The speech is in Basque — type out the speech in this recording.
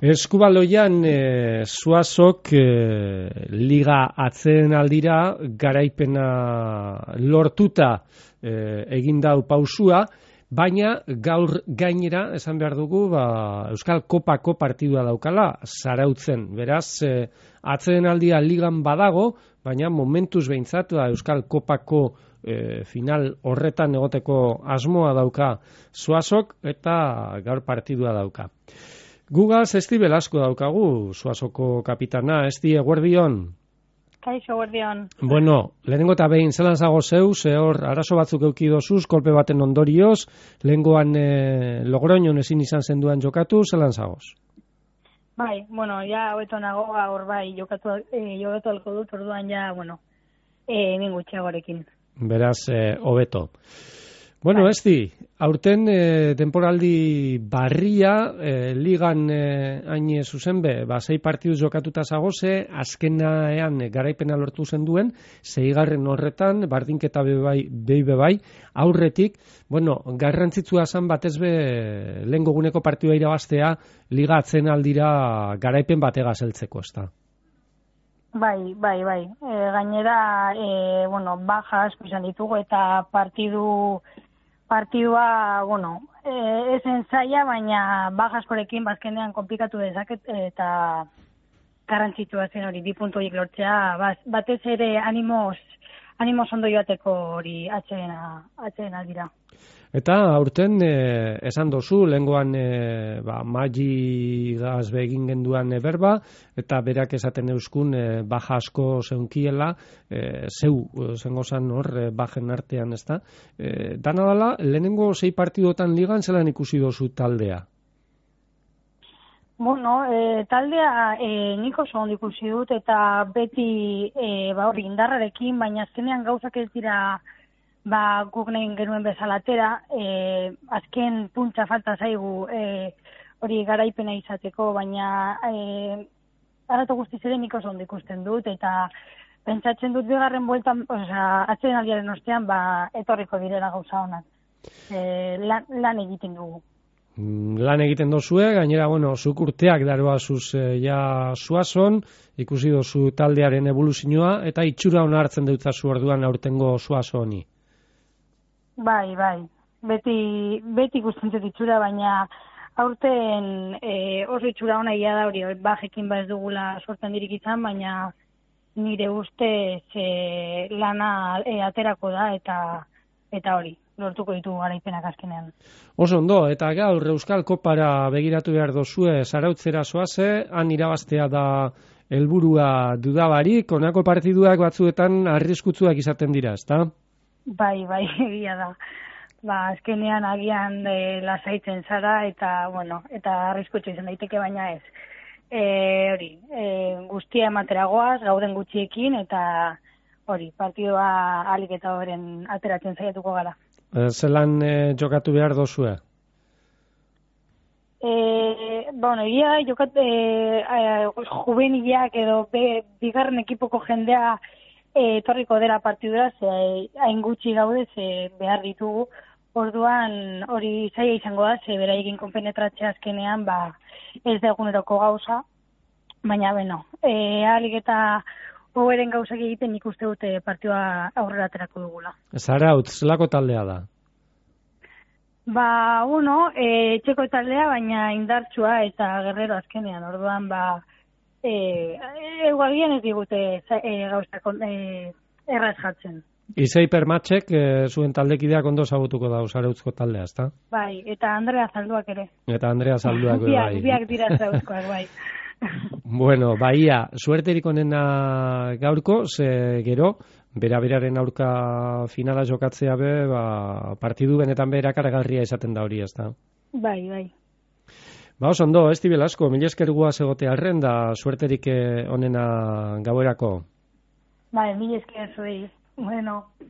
Eskubaloian Zuazok liga atzeen aldira garaipena lortuta egin dau pausua, baina gaur gainera esan behar dugu Euskal Kopako partidua daukala Zarautzen. Beraz, atzeen aldia ligan badago, baina momentuz behintzat Euskal Kopako final horretan egoteko asmoa dauka Zuazok eta gaur partidua dauka. Gugaz Esti Belasko daukagu, Zuazoko kapitana. Esti, eguerdion? Kaixo, eguerdion. Bueno, lehenengo eta behin zelan zago zeu, hor arazo batzuk euki dozuz, kolpe baten ondorioz, lehengoan Logroñon ezin izan zenduan jokatu, zelan zagoz? Bai, bueno, ja hobeto nago, hor bai, jokatu alko dut, orduan ja, bueno, ningutxeagorekin. Beraz, hobeto. Bueno, Esti, aurten temporaldi barria, ligan hain zuzen be, 6 partiduz jokatuta zagoze, azkenean garaipena lortu zen duen, 6. horretan, bardinketa bai, aurretik, bueno, garrantzitsua zan batez be, lehen goguneko partidua irabaztea, liga atzen aldira garaipen batega zeltzeko, ezta? Bai. Gainera, bueno, baja asko izan ditugu eta partidua, bueno, esen zaila, baina baja askorekin bazkenean komplikatu dezaket eta garrantzitsua zen hori, 2 puntu horiek lortzea, batez ere animoz ondo joateko hori atzeen aldira. Eta aurten esan dozu, lehengoan Magi Gazbe egin genduan berba, eta berak esaten euskun baja asko zeunkiela, zengo zan hor, bajen artean, ez da? Dana dala, lehenengo 6 partidotan ligan zelan ikusi dozu taldea? Bueno, taldea nik oso ondo ikusi dut, eta beti hori indarrarekin, baina azkenean gauzak ez dira guk nahi genuen bezalatera, azken puntza falta zaigu hori garaipena izateko, baina aratu guztiz ere nik oso ondo ikusten dut, eta pentsatzen dut bigarren bueltan, atzeen aldiaren ostean, etorriko direla gauza honak. Lan egiten dugu. Lan egiten dozue, gainera, bueno, zuk urteak daroazuz ja Zuazon, ikusi dozu taldearen evoluzioa, eta itxura hona hartzen deutzazu orduan aurtengo Zuazoni. Bai. Beti ikusten dut itxura, baina aurten oso itxura hona ia da hori, bajekin ez dugula sortzen dirik izan, baina nire ustez lana aterako da eta hori, lortuko ditu garaipenak azkenean. Oso ondo, eta gaur Euskal Kopara begiratu behar dozue, Zarautzera zoaze, han irabaztea da helburua dudabarik, honako partiduak batzuetan arriskutsuak izaten dira, ezta? Bai, egia da. Azkenean agian lasaitzen zara eta, bueno, eta arriskutsu izan daiteke, baina ez. Hori, guztia emateragoaz, gauden gutxiekin, eta hori, partidua alik eta horren ateratzen zaiatuko gara. Zelan jokatu behar dozue? Bueno, egia juvenilak edo bigarren ekipoko jendea etorriko dela partidura, hain gutxi gaude, behar ditugu. Orduan hori zaila izango da, beraikin konpenetratzea azkenean, ez da eguneroko gauza, baina beno, ahalik eta hoberen gauzak egiten nik uste dute partidua aurrera aterako dugula. Zarautz, zelako taldea da? Txeko taldea, baina indartsua eta guerrero azkenean, orduan egualien ez digute gauzak erraz jatzen. Izeiper Matxek zuen taldekideak ondo zagutuko da Zarautzko taldea, ezta? Bai, eta Andrea Zalduak ere. Bai. Biak dira Zarautzkoak, bai. Bueno, baia, suerterik onena gaurko, gero, beraren aurka finala jokatzea partidu benetan berakaragarria izaten da hori, ezta? Bai. Oso ondo, Esti Belasko, mila esker guaz egote arren da suerterik onena gauerako. Mila esker zuei. Bueno.